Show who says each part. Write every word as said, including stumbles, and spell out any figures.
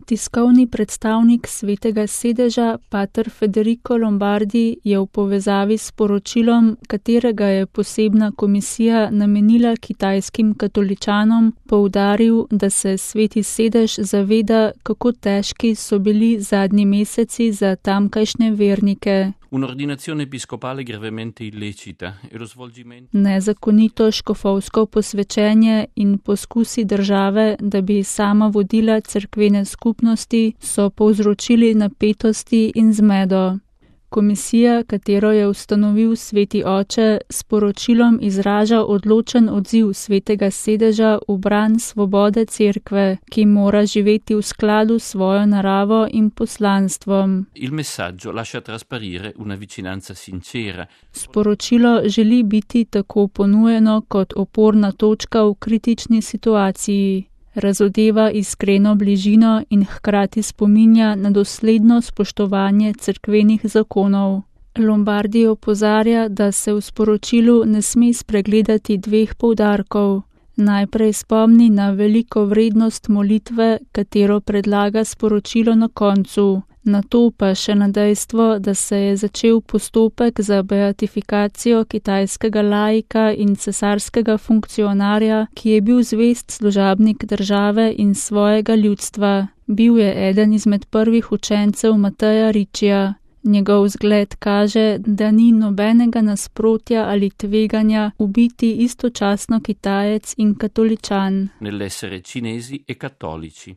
Speaker 1: Tiskovni predstavnik Svetega sedeža, pater Federico Lombardi, je v povezavi s poročilom, katerega je posebna komisija namenila kitajskim katoličanom, poudaril, da se Sveti sedež zaveda, kako težki so bili zadnji meseci za tamkajšnje vernike.
Speaker 2: Un'ordinazione episcopale gravemente illecita e lo svolgimento
Speaker 1: Nezakonito škofovsko posvečenje in poskusi države, da bi sama vodila cerkvene skupnosti, so povzročili napetosti in zmedo. Komisija, katero je ustanovil Sveti oče, s poročilom izraža odločen odziv Svetega sedeža v bran svobode cerkve, ki mora živeti v skladu s svojo naravo in poslanstvom.
Speaker 2: il messaggio lascia trasparire una vicinanza sincera.
Speaker 1: Sporočilo želi biti tako ponujeno kot oporna točka v kritični situaciji. Razodeva iskreno bližino in hkrati spominja na dosledno spoštovanje cerkvenih zakonov. Lombardi opozarja, da se v sporočilu ne sme spregledati dveh poudarkov. Najprej spomni na veliko vrednost molitve, katero predlaga sporočilo na koncu. Nato pa še na dejstvo, da se je začel postopek za beatifikacijo kitajskega laika in cesarskega funkcionarja, ki je bil zvest služabnik države in svojega ljudstva. Bil je eden izmed prvih učencev Mateja Riccija. Njegov zgled kaže, da ni nobenega nasprotja ali tveganja ubiti istočasno Kitajec in katoličan.
Speaker 2: Nell'essere cinesi e cattolici.